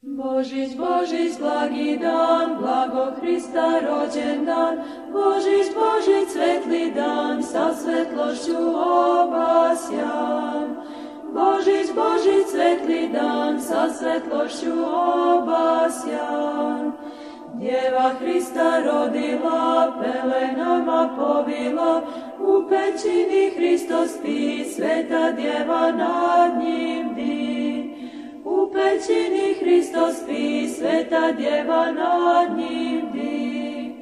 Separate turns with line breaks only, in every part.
Božić, Božić, blagi dan, blago Hrista rođendan. Božić, Božić, svetli dan, sa svetlošću obasjan. Božić, Božić, svetli dan, sa svetlošću obasjan. Djeva Hrista rodila, pelenama povila, u pećini Hristos spi, sveta djeva nad njim di. U pećini Hristos spi, sveta djeva nad njim di.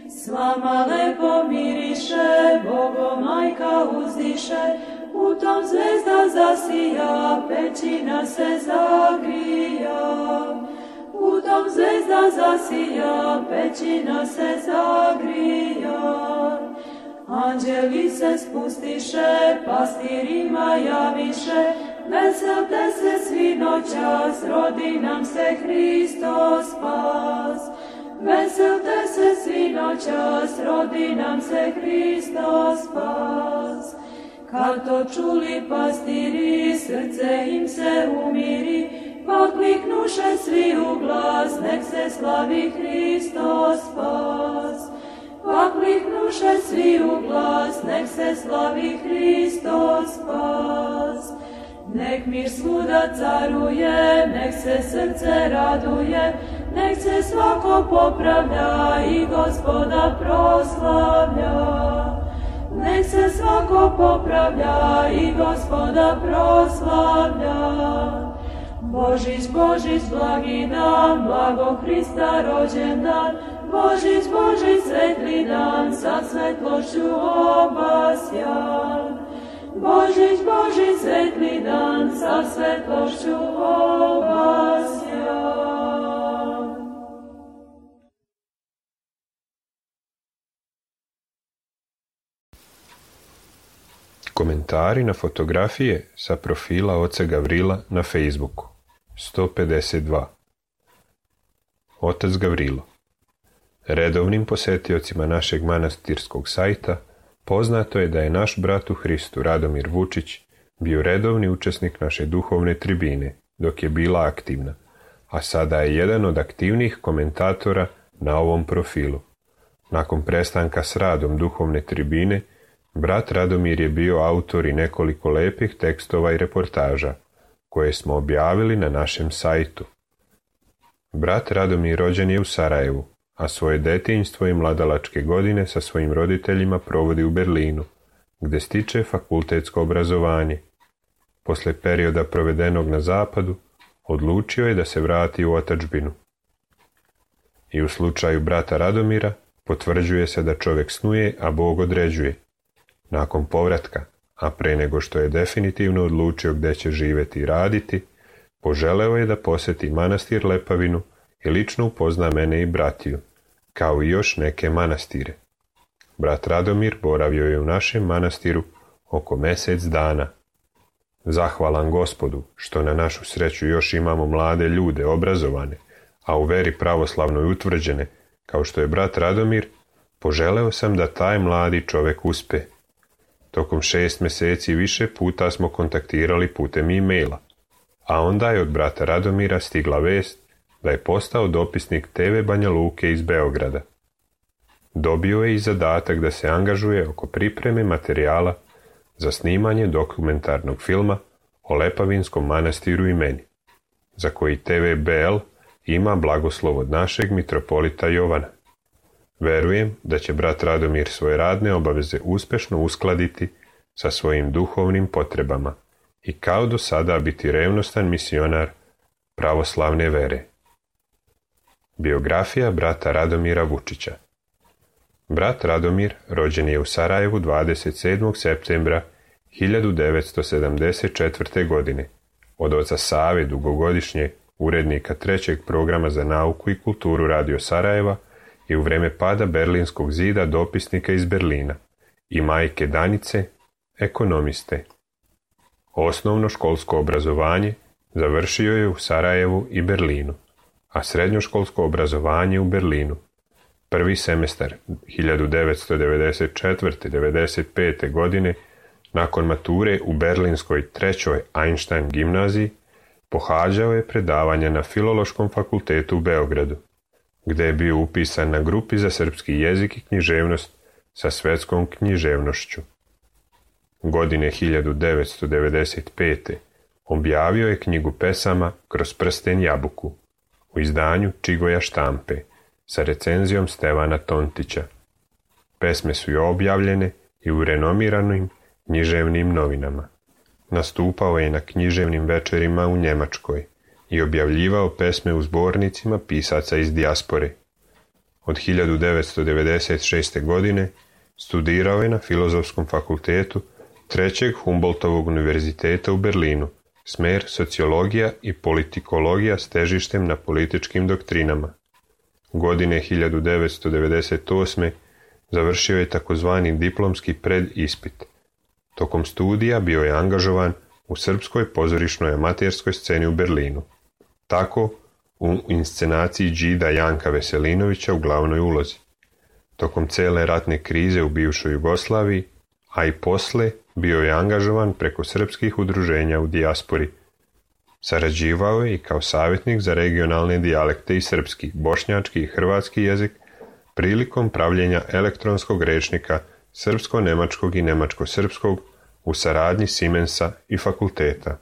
Slama lepo miriše, Bogo majka uzdiše, u tom zvezda zasija, pećina se zagrija. U tom zvezda zasija, pećina se zagrija. Anđeli se spustiše, pastirima javiše, veselte se svi noćas, rodi nam se Hristos spas. Veselte se svi noćas, rodi nam se Hristos spas. Kad to čuli pastiri, srce im se umiri, pa kliknuše svi u glas, nek se slavi Hristos spas. Pa kliknuše svi u glas, nek se slavi Hristos spas. Nek mir svuda caruje, nek se srce raduje, nek se svako popravlja i Gospoda proslavlja. Nek se svako popravlja i Gospoda proslavlja. Božić, Božić, blagi dan, blago Hrista rođendan. Božić, Božić, svetli dan, sa svetlošću obasjan. Božić, Božić, svetli dan, sa svetlošću obasjan.
Komentari na fotografije sa profila oca Gavrila na Facebooku. 152. Otac Gavrilo. Redovnim posjetiocima našeg manastirskog sajta poznato je da je naš brat u Hristu Radomir Vučić bio redovni učesnik naše duhovne tribine dok je bila aktivna, a sada je jedan od aktivnijih komentatora na ovom profilu. Nakon prestanka s radom duhovne tribine, brat Radomir je bio autor i nekoliko lepih tekstova i reportaža, koje smo objavili na našem sajtu. Brat Radomir rođen je u Sarajevu, a svoje detinjstvo i mladalačke godine sa svojim roditeljima provodi u Berlinu, gdje stiče fakultetsko obrazovanje. Posle perioda provedenog na zapadu, odlučio je da se vrati u otadžbinu. I u slučaju brata Radomira potvrđuje se da čovjek snuje, a Bog određuje. Nakon povratka, a pre nego što je definitivno odlučio gdje će živjeti i raditi, poželeo je da posjeti manastir Lepavinu i lično upozna mene i bratiju, kao i još neke manastire. Brat Radomir boravio je u našem manastiru oko mjesec dana. Zahvalan Gospodu što na našu sreću još imamo mlade ljude obrazovane, a u veri pravoslavnoj utvrđene, kao što je brat Radomir, poželeo sam da taj mladi čovjek uspe. Tokom 6 mjeseci više puta smo kontaktirali putem e-maila, a onda je od brata Radomira stigla vest da je postao dopisnik TV Banja Luke iz Beograda. Dobio je i zadatak da se angažuje oko pripreme materijala za snimanje dokumentarnog filma o Lepavinskom manastiru i meni, za koji TV BL ima blagoslov od našeg mitropolita Jovana. Verujem da će brat Radomir svoje radne obaveze uspješno uskladiti sa svojim duhovnim potrebama i kao do sada biti revnostan misionar pravoslavne vere. Biografija brata Radomira Vučića. Brat Radomir rođen je u Sarajevu 27. septembra 1974. godine od oca Save, dugogodišnjeg urednika 3. programa za nauku i kulturu Radio Sarajeva i u vrijeme pada Berlinskog zida dopisnika iz Berlina i majke Danice, ekonomiste. Osnovno školsko obrazovanje završio je u Sarajevu i Berlinu, a srednjoškolsko obrazovanje u Berlinu. Prvi semestar 1994-95. godine nakon mature u berlinskoj 3. Einstein gimnaziji Pohađao je predavanja na Filološkom fakultetu u Beogradu, gde je bio upisan na grupi za srpski jezik i književnost sa svetskom književnošću. Godine 1995. objavio je knjigu pesama Kroz prsten jabuku u izdanju Čigoja štampe sa recenzijom Stevana Tontića. Pesme su i objavljene i u renomiranim književnim novinama. Nastupao je na književnim večerima u Njemačkoj i objavljivao pesme u zbornicima pisaca iz dijaspore. Od 1996. godine studirao je na Filozofskom fakultetu Trećeg Humboldtovog univerziteta u Berlinu, smer sociologija i politikologija s težištem na političkim doktrinama. Godine 1998. završio je takozvani diplomski predispit. Tokom studija bio je angažovan u srpskoj pozorišnoj amaterskoj sceni u Berlinu. Tako u inscenaciji Đida Janka Veselinovića u glavnoj ulozi. Tokom cele ratne krize u bivšoj Jugoslaviji, a i posle, bio je angažovan preko srpskih udruženja u dijaspori. Sarađivao je i kao savjetnik za regionalne dijalekte i srpski, bošnjački i hrvatski jezik prilikom pravljenja elektronskog rečnika srpsko-nemačkog i nemačko-srpskog u saradnji Siemensa i fakulteta.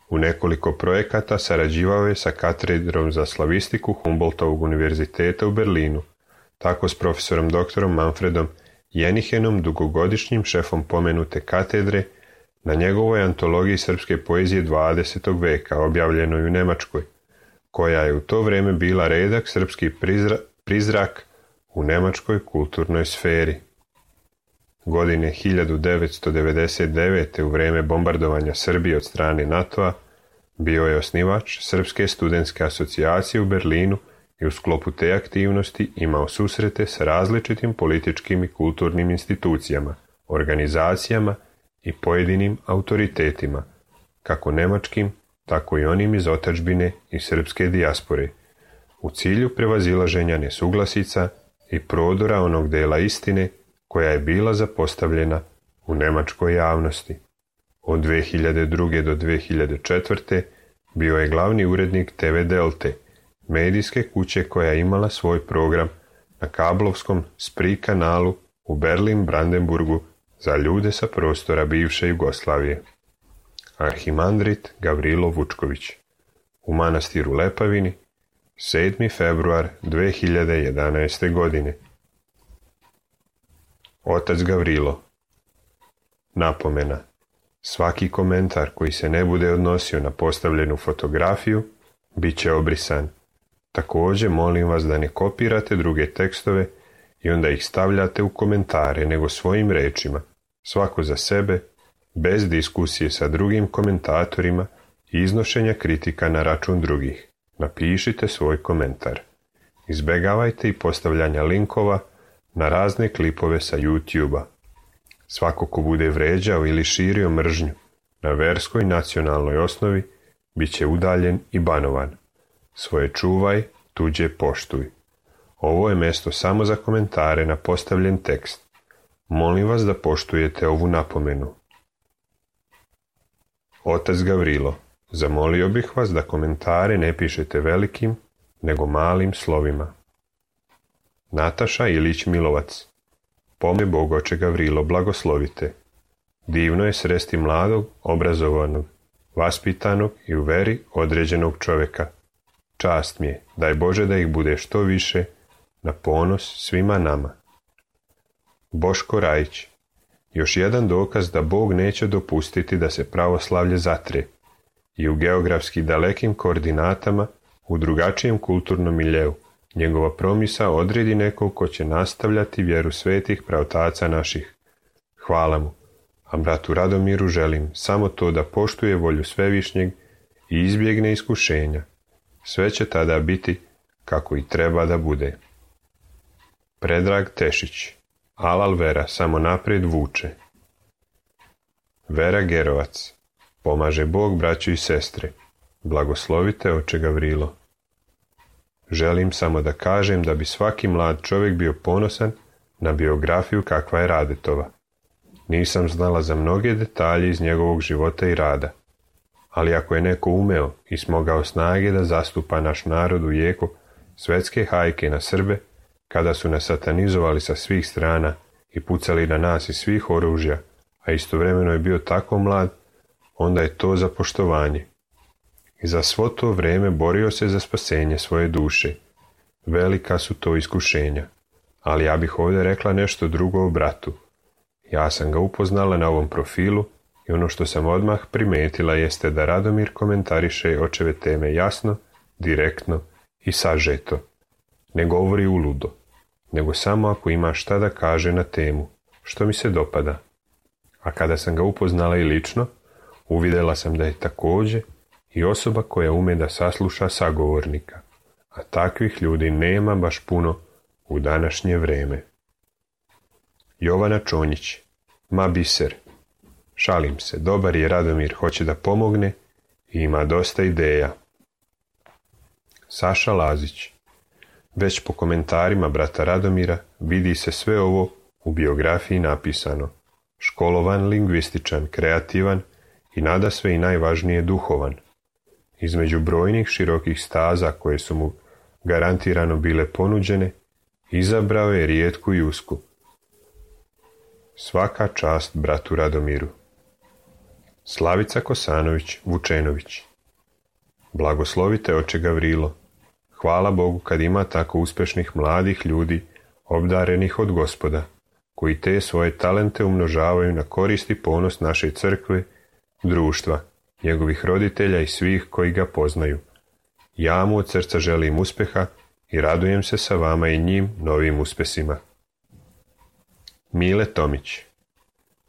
U nekoliko projekata sarađivao je sa katedrom za slavistiku Humboldtovog univerziteta u Berlinu, tako s profesorom doktorom Manfredom Jenichenom, dugogodišnjim šefom pomenute katedre, na njegovoj antologiji srpske poezije 20. veka, objavljenoj u Nemačkoj, koja je u to vrijeme bila redak srpski prizrak u nemačkoj kulturnoj sferi. Godine 1999. u vrijeme bombardovanja Srbije od strane NATO-a bio je osnivač Srpske studentske asocijacije u Berlinu i u sklopu te aktivnosti imao susrete s različitim političkim i kulturnim institucijama, organizacijama i pojedinim autoritetima, kako nemačkim, tako i onim iz otadžbine i srpske dijaspore, u cilju prevazilaženja nesuglasica i prodora onog dela istine koja je bila zapostavljena u nemačkoj javnosti. Od 2002. do 2004. bio je glavni urednik TV Delte, medijske kuće koja je imala svoj program na kablovskom Spree kanalu u Berlin-Brandenburgu za ljude sa prostora bivše Jugoslavije. Arhimandrit Gavrilo Vučković, u manastiru Lepavini, 7. februar 2011. godine. Otac Gavrilo. Napomena. Svaki komentar koji se ne bude odnosio na postavljenu fotografiju bit će obrisan. Također molim vas da ne kopirate druge tekstove i onda ih stavljate u komentare, nego svojim rečima, svako za sebe, bez diskusije sa drugim komentatorima i iznošenja kritika na račun drugih. Napišite svoj komentar. Izbegavajte i postavljanja linkova na razne klipove sa YouTube-a. Svako ko bude vređao ili širio mržnju na verskoj nacionalnoj osnovi bit će udaljen i banovan. Svoje čuvaj, tuđe poštuj. Ovo je mjesto samo za komentare na postavljen tekst. Molim vas da poštujete ovu napomenu. Otac Gavrilo, zamolio bih vas da komentare ne pišete velikim, nego malim slovima. Nataša Ilić Milovac. Pome Bog oče Gavrilo, blagoslovite. Divno je sresti mladog, obrazovanog, vaspitanog i u veri određenog čovjeka. Čast mi je, daj Bože da ih bude što više, na ponos svima nama. Boško Rajić. Još jedan dokaz da Bog neće dopustiti da se pravoslavlje zatre i u geografski dalekim koordinatama, u drugačijem kulturnom miljeu, njegova promisa odredi nekog ko će nastavljati vjeru svetih praotaca naših. Hvala mu, a bratu Radomiru želim samo to da poštuje volju Svevišnjeg i izbjegne iskušenja. Sve će tada biti kako i treba da bude. Predrag Tešić. Alal Vera samo naprijed vuče. Vera Gerovac. Pomaže Bog braću i sestre. Blagoslovite oče Gavrilo. Želim samo da kažem da bi svaki mlad čovjek bio ponosan na biografiju kakva je Radetova. Nisam znala za mnoge detalje iz njegovog života i rada, ali ako je neko umeo i smogao snage da zastupa naš narod u jeku svetske hajke na Srbe, kada su nas satanizovali sa svih strana i pucali na nas iz svih oružja, a istovremeno je bio tako mlad, onda je to za poštovanje. I za svo to vrijeme borio se za spasenje svoje duše. Velika su to iskušenja, ali ja bih ovdje rekla nešto drugo o bratu. Ja sam ga upoznala na ovom profilu i ono što sam odmah primetila jeste da Radomir komentariše očeve teme jasno, direktno i sažeto. Ne govori uludo, nego samo ako ima šta da kaže na temu, što mi se dopada. A kada sam ga upoznala i lično, uvidjela sam da je također i osoba koja ume da sasluša sagovornika, a takvih ljudi nema baš puno u današnje vrijeme. Jovana Čonjić, ma biser. Šalim se, dobar je Radomir, hoće da pomogne i ima dosta ideja. Saša Lazić, već po komentarima brata Radomira vidi se sve ovo u biografiji napisano. Školovan, lingvističan, kreativan i nadasve i najvažnije duhovan. Između brojnih širokih staza koje su mu garantirano bile ponuđene, izabrao je rijetku i usku. Svaka čast bratu Radomiru. Slavica Kosanović Vučenović. Blagoslovite oče Gavrilo. Hvala Bogu kad ima tako uspješnih mladih ljudi, obdarenih od Gospoda, koji te svoje talente umnožavaju na korist i ponos naše crkve, društva, njegovih roditelja i svih koji ga poznaju. Ja mu od srca želim uspjeha i radujem se sa vama i njim novim uspjesima. Mile Tomić.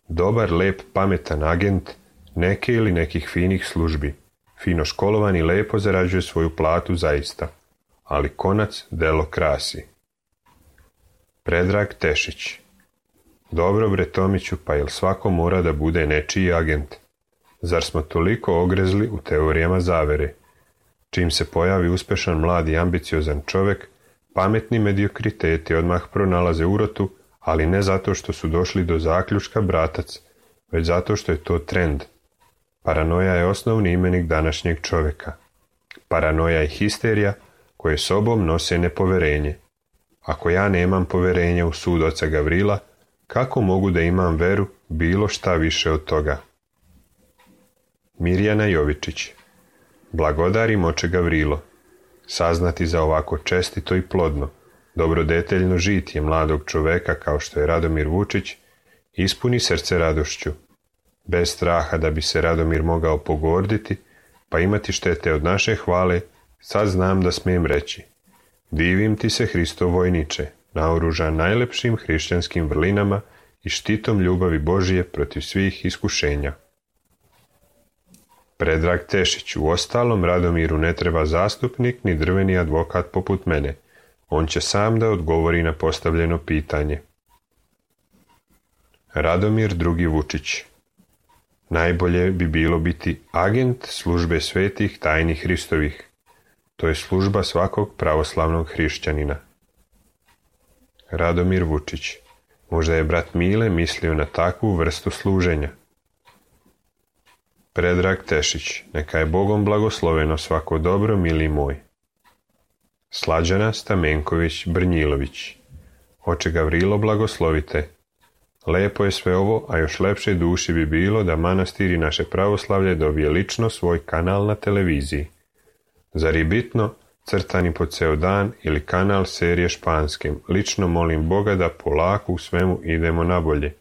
Dobar, lep, pametan agent neke ili nekih finih službi. Fino školovan i lepo zarađuje svoju platu zaista, ali konac delo krasi. Predrag Tešić. Dobro bre Tomiću, pa jel svako mora da bude nečiji agent? Zar smo toliko ogrezli u teorijama zavere? Čim se pojavi uspešan mlad i ambiciozan čovjek, pametni mediokriteti odmah pronalaze urotu, ali ne zato što su došli do zaključka bratac, već zato što je to trend. Paranoja je osnovni imenik današnjeg čovjeka. Paranoja je histerija koje sobom nose nepoverenje. Ako ja nemam poverenja u sud oca Gavrila, kako mogu da imam veru bilo šta više od toga? Mirjana Jovičić. Blagodarim oče Gavrilo. Saznati za ovako čestito i plodno, dobrodeteljno žitje mladog čoveka kao što je Radomir Vučić, ispuni srce radošću. Bez straha da bi se Radomir mogao pogorditi, pa imati štete od naše hvale, sad znam da smijem reći. Divim ti se Hristov vojniče, naoružan najlepšim hrišćanskim vrlinama i štitom ljubavi Božije protiv svih iskušenja. Predrag Tešić, u ostalom Radomiru ne treba zastupnik ni drveni advokat poput mene. On će sam da odgovori na postavljeno pitanje. Radomir II. Vučić. Najbolje bi bilo biti agent službe svetih tajni Hristovih. To je služba svakog pravoslavnog hrišćanina. Radomir Vučić. Možda je brat Mile mislio na takvu vrstu služenja. Predrag Tešić. Neka je Bogom blagosloveno svako dobro, mili moj. Slađana Stamenković Brnjilović. Oče Gavrilo, blagoslovite. Lepo je sve ovo, a još lepše duši bi bilo da manastir i naše pravoslavlje dobije lično svoj kanal na televiziji. Zar je bitno crtani po ceo dan ili kanal serije španskim? Lično molim Boga da polako u svemu idemo na bolje.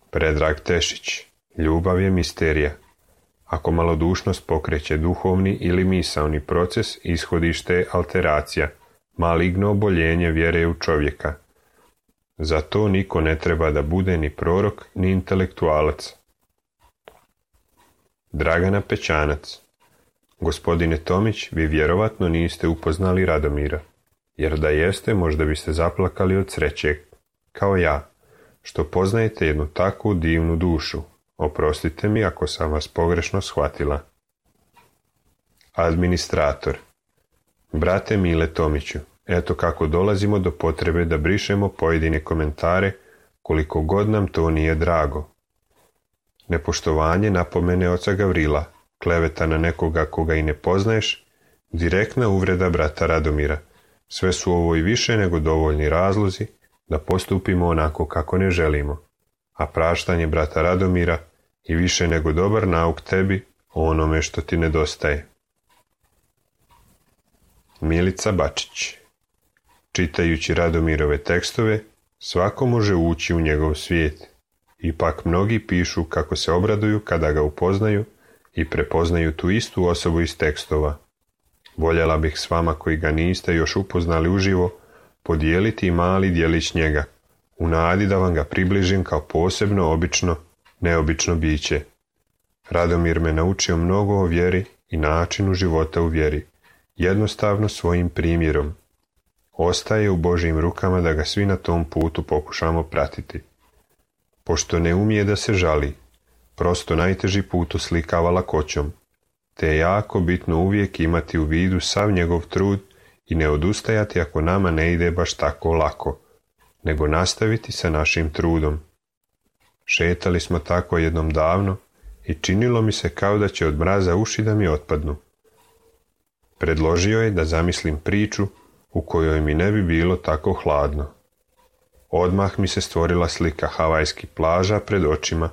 Predrag Tešić. Ljubav je misterija. Ako malodušnost pokreće duhovni ili misaoni proces, ishodište je alteracija, maligno oboljenje vjere u čovjeka. Zato niko ne treba da bude ni prorok, ni intelektualac. Dragana Pećanac. Gospodine Tomić, vi vjerovatno niste upoznali Radomira, jer da jeste možda biste zaplakali od sreće, kao ja, što poznajete jednu takvu divnu dušu. Oprostite mi ako sam vas pogrešno shvatila. Administrator. Brate Mile Tomiću, eto kako dolazimo do potrebe da brišemo pojedine komentare, koliko god nam to nije drago. nepoštovanje napomene oca Gavrila, kleveta na nekoga koga i ne poznaješ, direktna uvreda brata Radomira. Sve su ovo i više nego dovoljni razlozi da postupimo onako kako ne želimo, a praštanje brata Radomira i više nego dobar nauk tebi o onome što ti nedostaje. Milica Bačić. Čitajući Radomirove tekstove, svako može ući u njegov svijet. Ipak mnogi pišu kako se obraduju kada ga upoznaju i prepoznaju tu istu osobu iz tekstova. Voljela bih s vama koji ga niste još upoznali uživo podijeliti i mali dijelić njega, u nadi da vam ga približim kao posebno, obično, neobično biće. Radomir me naučio mnogo o vjeri i načinu života u vjeri, jednostavno svojim primjerom. Ostaje u Božjim rukama da ga svi na tom putu pokušamo pratiti. Pošto ne umije da se žali, prosto najteži put oslikava lakoćom, te je jako bitno uvijek imati u vidu sav njegov trud i ne odustajati ako nama ne ide baš tako lako, nego nastaviti sa našim trudom. Šetali smo tako jednom davno i činilo mi se kao da će od mraza uši da mi otpadnu. Predložio je da zamislim priču u kojoj mi ne bi bilo tako hladno. Odmah mi se stvorila slika havajskih plaža pred očima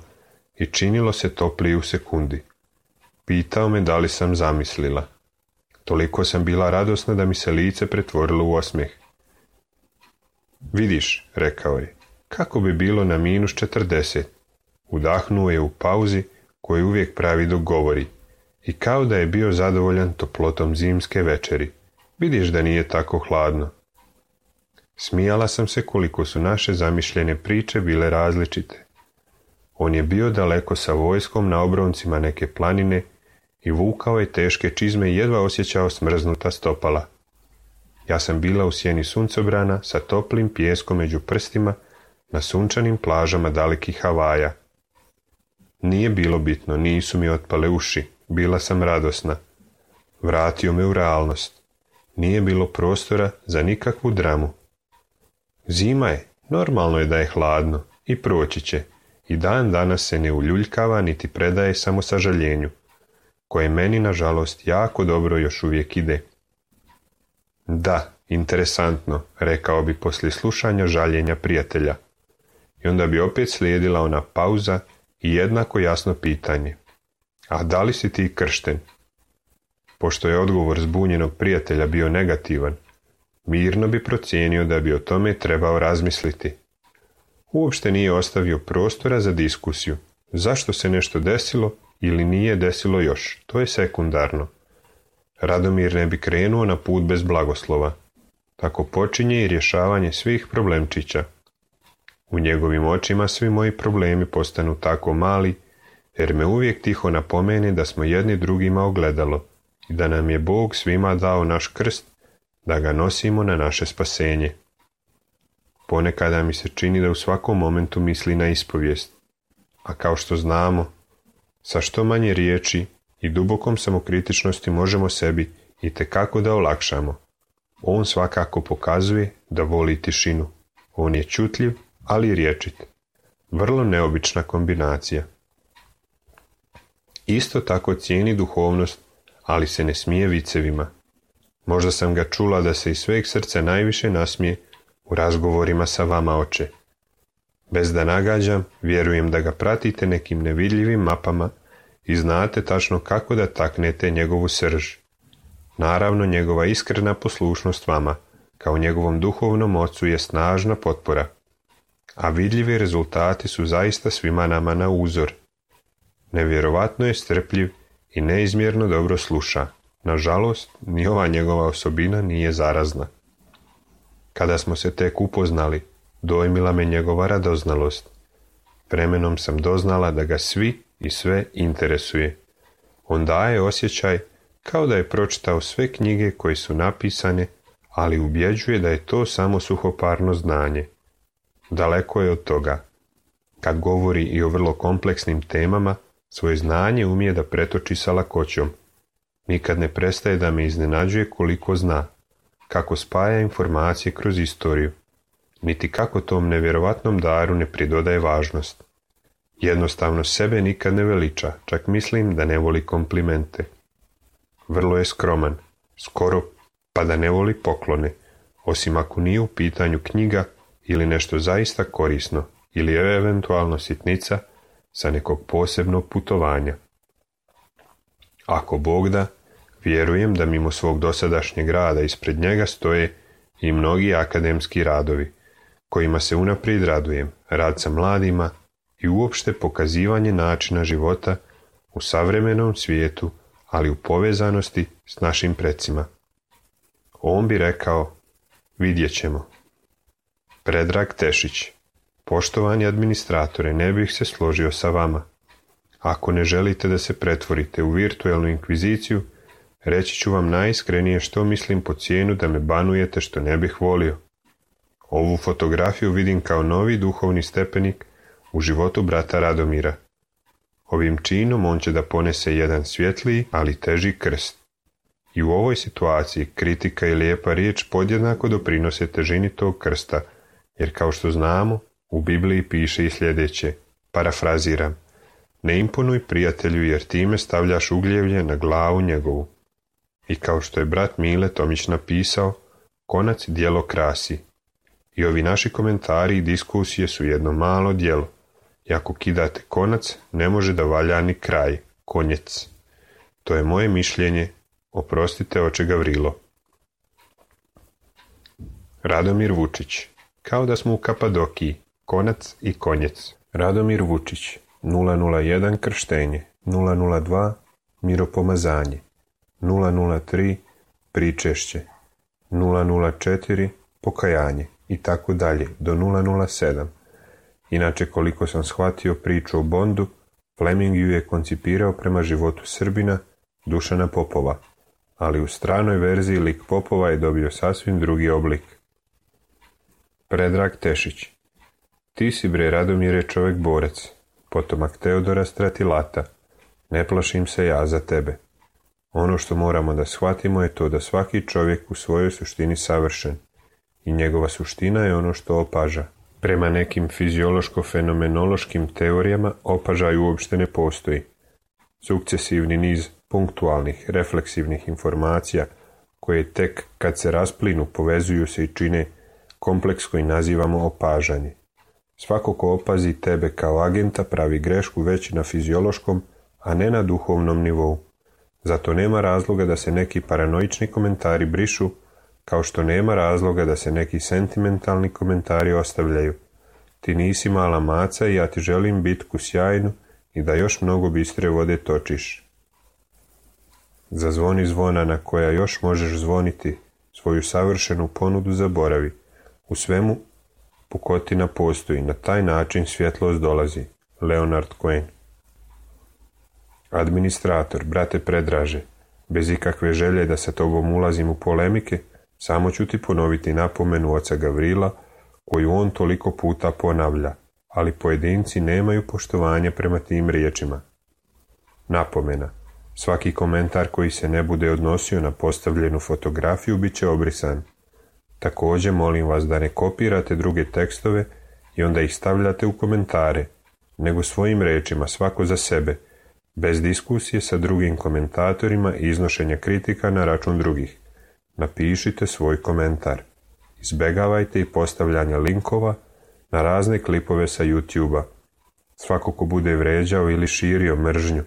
i činilo se toplije u sekundi. Pitao me da li sam zamislila. Toliko sam bila radosna da mi se lice pretvorilo u osmijeh. Vidiš, rekao je, kako bi bilo na -40. Udahnuo je u pauzi koju uvijek pravi dok govori i kao da je bio zadovoljan toplotom zimske večeri. Vidiš da nije tako hladno. Smijala sam se koliko su naše zamišljene priče bile različite. On je bio daleko sa vojskom na obroncima neke planine i vukao je teške čizme i jedva osjećao smrznuta stopala. Ja sam bila u sjeni suncobrana sa toplim pijeskom među prstima na sunčanim plažama dalekih Havaja. Nije bilo bitno, nisu mi otpale uši, bila sam radosna. Vratio me u realnost. Nije bilo prostora za nikakvu dramu. Zima je, normalno je da je hladno i proći će. I dan danas se ne uljuljkava niti predaje samo sažaljenju, koje meni nažalost jako dobro još uvijek ide. Da, interesantno, rekao bi poslije slušanja žaljenja prijatelja. I onda bi opet slijedila ona pauza i jednako jasno pitanje. A da li si ti kršten? Pošto je odgovor zbunjenog prijatelja bio negativan, mirno bi procijenio da bi o tome trebao razmisliti. Uopšte nije ostavio prostora za diskusiju. Zašto se nešto desilo ili nije desilo još, to je sekundarno. Radomir ne bi krenuo na put bez blagoslova. Tako počinje i rješavanje svih problemčića. U njegovim očima svi moji problemi postanu tako mali, jer me uvijek tiho napomene da smo jedni drugima ogledalo i da nam je Bog svima dao naš krst, da ga nosimo na naše spasenje. Ponekada mi se čini da u svakom momentu misli na ispovijest, a kao što znamo, sa što manje riječi i dubokom samokritičnosti možemo sebi itekako da olakšamo. On svakako pokazuje da voli tišinu. On je čutljiv, ali rječit. Vrlo neobična kombinacija. Isto tako cijeni duhovnost, ali se ne smije vicevima. Možda sam ga čula da se iz sveg srca najviše nasmije u razgovorima sa vama, oče. Bez da nagađam, vjerujem da ga pratite nekim nevidljivim mapama i znate tačno kako da taknete njegovu srž. Naravno, njegova iskrena poslušnost vama, kao njegovom duhovnom ocu, je snažna potpora, a vidljivi rezultati su zaista svima nama na uzor. Nevjerovatno je strpljiv i neizmjerno dobro sluša. Nažalost, ni ova njegova osobina nije zarazna. Kada smo se tek upoznali, dojmila me njegova radoznalost. Vremenom sam doznala da ga svi i sve interesuje. On daje osjećaj kao da je pročitao sve knjige koje su napisane, ali ubjeđuje da je to samo suhoparno znanje. Daleko je od toga. Kad govori i o vrlo kompleksnim temama, svoje znanje umije da pretoči sa lakoćom. Nikad ne prestaje da me iznenađuje koliko zna, kako spaja informacije kroz istoriju, niti kako tom nevjerovatnom daru ne pridodaje važnost. Jednostavno sebe nikad ne veliča, čak mislim da ne voli komplimente. Vrlo je skroman, skoro pa da ne voli poklone, osim ako nije u pitanju knjiga ili nešto zaista korisno, ili eventualno sitnica sa nekog posebnog putovanja. Ako Bog da, vjerujem da mimo svog dosadašnjeg rada ispred njega stoje i mnogi akademski radovi, kojima se unaprijed radujem, rad sa mladima i uopšte pokazivanje načina života u savremenom svijetu, ali u povezanosti s našim precima. On bi rekao, vidjet ćemo. Predrag Tešić. Poštovani administratore, ne bih se složio sa vama. Ako ne želite da se pretvorite u virtualnu inkviziciju, reći ću vam najiskrenije što mislim po cijenu da me banujete što ne bih volio. Ovu fotografiju vidim kao novi duhovni stepenik u životu brata Radomira. Ovim činom on će da ponese jedan svjetliji, ali teži krst. I u ovoj situaciji kritika i lijepa riječ podjednako doprinose težini tog krsta, jer kao što znamo, u Bibliji piše i sljedeće, parafraziram, ne imponuj prijatelju jer time stavljaš ugljevlje na glavu njegovu. I kao što je brat Mile Tomić napisao, konac djelo krasi. I ovi naši komentari i diskusije su jedno malo djelo. I ako kidate konac, ne može da valja ni kraj, konjec. To je moje mišljenje, oprostite oče Gavrilo. Radomir Vučić. Kao da smo u Kapadokiji, konac i konjec. Radomir Vučić. 001 krštenje, 002 miropomazanje, 003 pričešće, 004 pokajanje i tako dalje do 007. Inače, koliko sam shvatio priču o Bondu, Fleming ju je koncipirao prema životu Srbina Dušana Popova, ali u stranoj verziji lik Popova je dobio sasvim drugi oblik. Predrag Tešić. Ti si bre Radomire čovjek borac, potomak Teodora Stratilata. Ne plašim se ja za tebe. Ono što moramo da shvatimo je to da svaki čovjek u svojoj suštini savršen i njegova suština je ono što opaža. Prema nekim fiziološko-fenomenološkim teorijama opažaj uopšte ne postoji. Sukcesivni niz punktualnih, refleksivnih informacija koje tek kad se rasplinu povezuju se i čine kompleks koji nazivamo opažanje. Svako ko opazi tebe kao agenta pravi grešku već na fiziološkom, a ne na duhovnom nivou. Zato nema razloga da se neki paranoični komentari brišu, kao što nema razloga da se neki sentimentalni komentari ostavljaju. Ti nisi mala maca i ja ti želim bitku sjajnu i da još mnogo bistre vode točiš. Zazvoni zvona na koja još možeš zvoniti, svoju savršenu ponudu zaboravi. U svemu pukotina postoji, na taj način svjetlost dolazi. Leonard Cohen. Administrator, brate Predraže, bez ikakve želje da sa tobom ulazim u polemike, samo ću ti ponoviti napomenu oca Gavrila, koju on toliko puta ponavlja, ali pojedinci nemaju poštovanja prema tim riječima. Napomena. Svaki komentar koji se ne bude odnosio na postavljenu fotografiju bit će obrisan. Također molim vas da ne kopirate druge tekstove i onda ih stavljate u komentare, nego svojim rečima svako za sebe, bez diskusije sa drugim komentatorima i iznošenja kritika na račun drugih. Napišite svoj komentar. Izbegavajte i postavljanje linkova na razne klipove sa YouTube-a. Svako ko bude vređao ili širio mržnju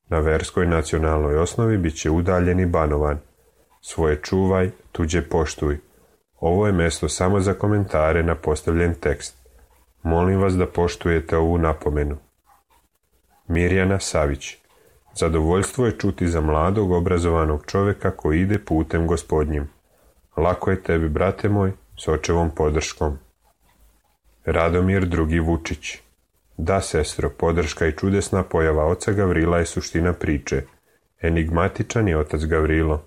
na verskoj nacionalnoj osnovi bit će udaljen i banovan. Svoje čuvaj, tuđe poštuj. Ovo je mjesto samo za komentare na postavljen tekst. Molim vas da poštujete ovu napomenu. Mirjana Savić. Zadovoljstvo je čuti za mladog, obrazovanog čovjeka koji ide putem Gospodnjim. Lako je tebi, brate moj, s očevom podrškom. Radomir II. Vučić. Da, sestro, podrška i čudesna pojava oca Gavrila je suština priče. Enigmatičan je otac Gavrilo.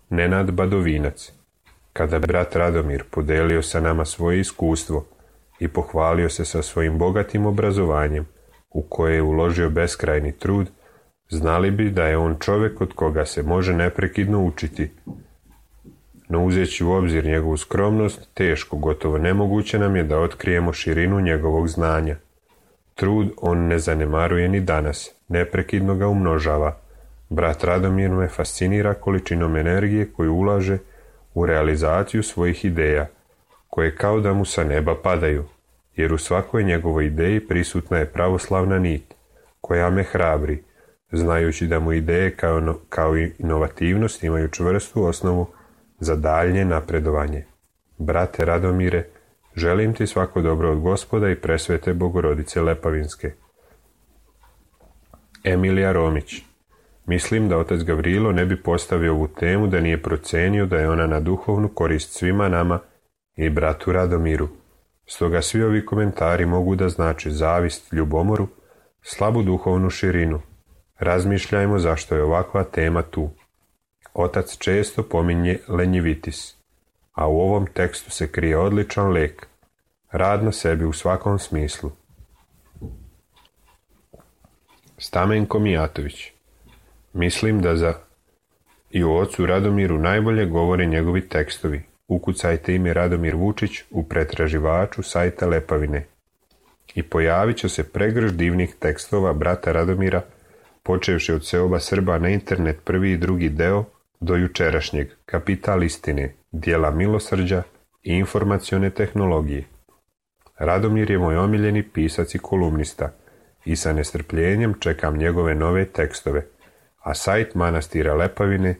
Nenad Badovinac. Kada brat Radomir podelio sa nama svoje iskustvo i pohvalio se sa svojim bogatim obrazovanjem, u koje je uložio beskrajni trud, znali bi da je on čovjek od koga se može neprekidno učiti. No uzeći u obzir njegovu skromnost, teško, gotovo nemoguće nam je da otkrijemo širinu njegovog znanja. Trud on ne zanemaruje ni danas, neprekidno ga umnožava. Brat Radomir me fascinira količinom energije koju ulaže u realizaciju svojih ideja, koje kao da mu sa neba padaju, jer u svakoj njegovoj ideji prisutna je pravoslavna nit, koja me hrabri, znajući da mu ideje kao i inovativnost imaju čvrstu osnovu za daljnje napredovanje. Brate Radomire, želim ti svako dobro od Gospoda i presvete Bogorodice Lepavinske. Emilija Romić. Mislim da otac Gavrilo ne bi postavio ovu temu da nije procenio da je ona na duhovnu korist svima nama i bratu Radomiru. Stoga svi ovi komentari mogu da znači zavist, ljubomoru, slabu duhovnu širinu. Razmišljajmo zašto je ovakva tema tu. Otac često pominje lenjivitis, a u ovom tekstu se krije odličan lek, rad na sebi u svakom smislu. Stamenko Mijatović. Mislim da i o ocu Radomiru najbolje govore njegovi tekstovi. Ukucajte ime Radomir Vučić u pretraživaču sajta Lepavine i pojavit će se pregršt divnih tekstova brata Radomira, počevši od seoba Srba na internet prvi i drugi deo do jučerašnjeg Kapital istine, dijela milosrđa i informacione tehnologije. Radomir je moj omiljeni pisac i kolumnista i sa nestrpljenjem čekam njegove nove tekstove, a sajt manastira Lepavine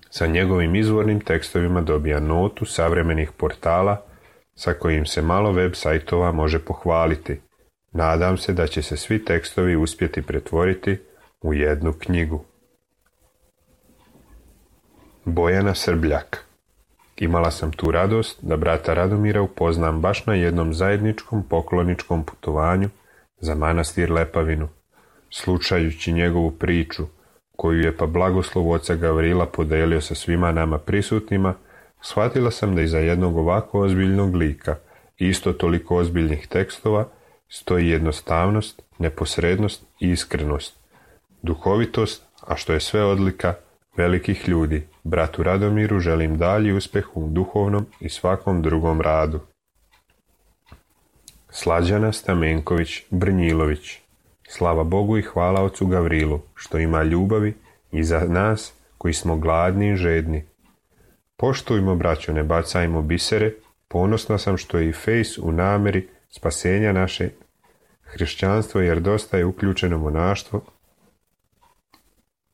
sa njegovim izvornim tekstovima dobija notu savremenih portala sa kojim se malo web sajtova može pohvaliti. Nadam se da će se svi tekstovi uspjeti pretvoriti u jednu knjigu. Bojana Srbljak. Imala sam tu radost da brata Radomira upoznam baš na jednom zajedničkom pokloničkom putovanju za manastir Lepavinu. Slušajući njegovu priču, koju je pa blagoslov oca Gavrila podelio sa svima nama prisutnima, shvatila sam da iza jednog ovako ozbiljnog lika i isto toliko ozbiljnih tekstova stoji jednostavnost, neposrednost i iskrenost, duhovitost, a što je sve odlika velikih ljudi. Bratu Radomiru želim dalji uspjeh u duhovnom i svakom drugom radu. Slađana Stamenković Brnjilović. Slava Bogu i hvala ocu Gavrilu, što ima ljubavi i za nas koji smo gladni i žedni. Poštujmo, braćo, ne bacajmo bisere, ponosna sam što je i fejs u nameri spasenja naše hrišćanstvo, jer dosta je uključeno monaštvo,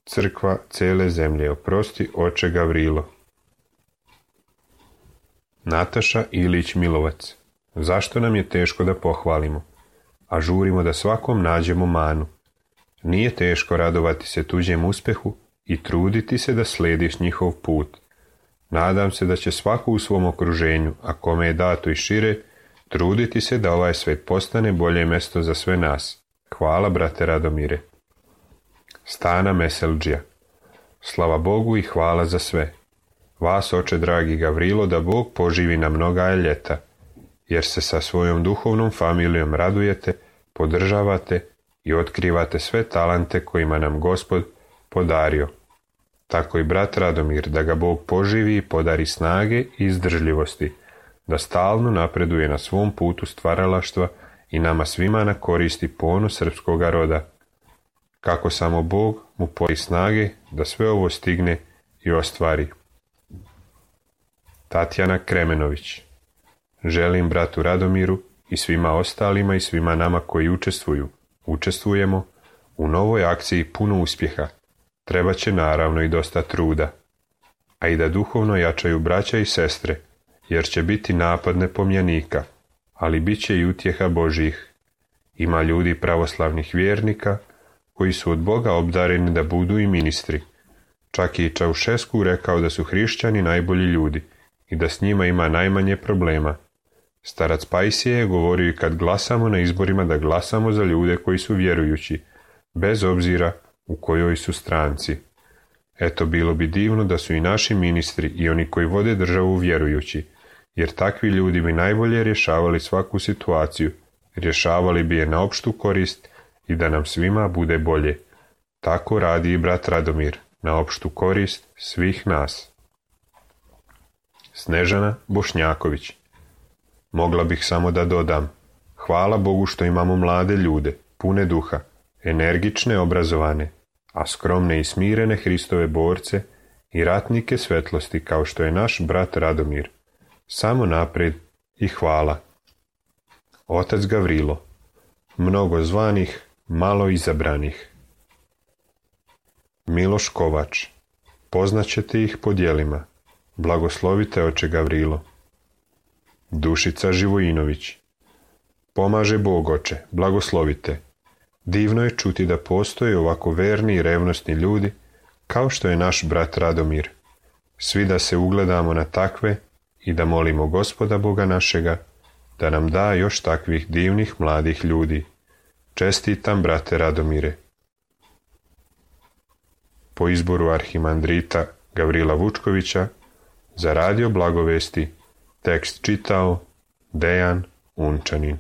crkva cele zemlje. Oprosti, oče Gavrilo. Nataša Ilić Milovac. Zašto nam je teško da pohvalimo, a žurimo da svakom nađemo manu? Nije teško radovati se tuđem uspjehu i truditi se da slediš njihov put. Nadam se da će svako u svom okruženju, a kome je dato i šire, truditi se da ovaj svet postane bolje mjesto za sve nas. Hvala, brate Radomire. Stana Meselđija. Slava Bogu i hvala za sve. Vas, oče dragi Gavrilo, da Bog poživi na mnoga ljeta, jer se sa svojom duhovnom familijom radujete, podržavate i otkrivate sve talente kojima nam Gospod podario. Tako i brat Radomir, da ga Bog poživi i podari snage i izdržljivosti, da stalno napreduje na svom putu stvaralaštva i nama svima na koristi ponos srpskoga roda. Kako samo Bog mu podari snage da sve ovo stigne i ostvari. Tatjana Kremenović. Želim bratu Radomiru i svima ostalima i svima nama koji učestvujemo u novoj akciji puno uspjeha. Treba će naravno i dosta truda, a i da duhovno jačaju braća i sestre, jer će biti napad nepomnjanika, ali bit će i utjeha Božjih. Ima ljudi pravoslavnih vjernika koji su od Boga obdareni da budu i ministri. Čak i Čaušesku rekao da su hrišćani najbolji ljudi i da s njima ima najmanje problema. Starac Pajsije je govorio i kad glasamo na izborima da glasamo za ljude koji su vjerujući, bez obzira u kojoj su stranci. Eto, bilo bi divno da su i naši ministri i oni koji vode državu vjerujući, jer takvi ljudi bi najbolje rješavali svaku situaciju, rješavali bi je na opštu korist i da nam svima bude bolje. Tako radi i brat Radomir, na opštu korist svih nas. Snežana Bošnjaković. Mogla bih samo da dodam, Hvala Bogu što imamo mlade ljude, pune duha, energične, obrazovane, a skromne i smirene Hristove borce i ratnike svetlosti kao što je naš brat Radomir. Samo naprijed i hvala. Otac Gavrilo, mnogo zvanih, malo izabranih. Miloš Kovač, poznaćete ih po djelima. Blagoslovite oče Gavrilo. Dušica Živojinović, pomaže Bog oče, blagoslovite. Divno je čuti da postoje ovako verni i revnosni ljudi kao što je naš brat Radomir. Svi da se ugledamo na takve i da molimo Gospoda Boga našega da nam da još takvih divnih mladih ljudi. Čestitam, brate Radomire. Po izboru arhimandrita Gavrila Vučkovića za radio Blagovesti tekst čitao Dejan Unčanin.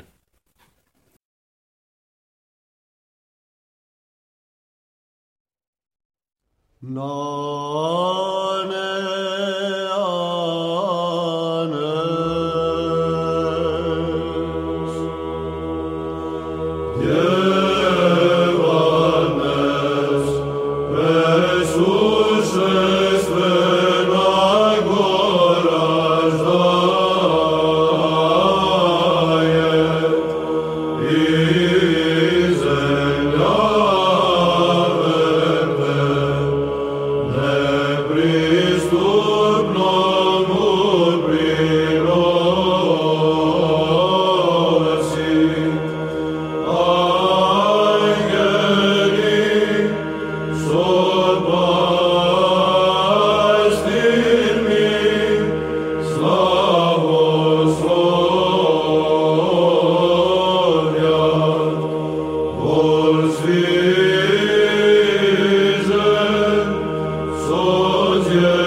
Dieu.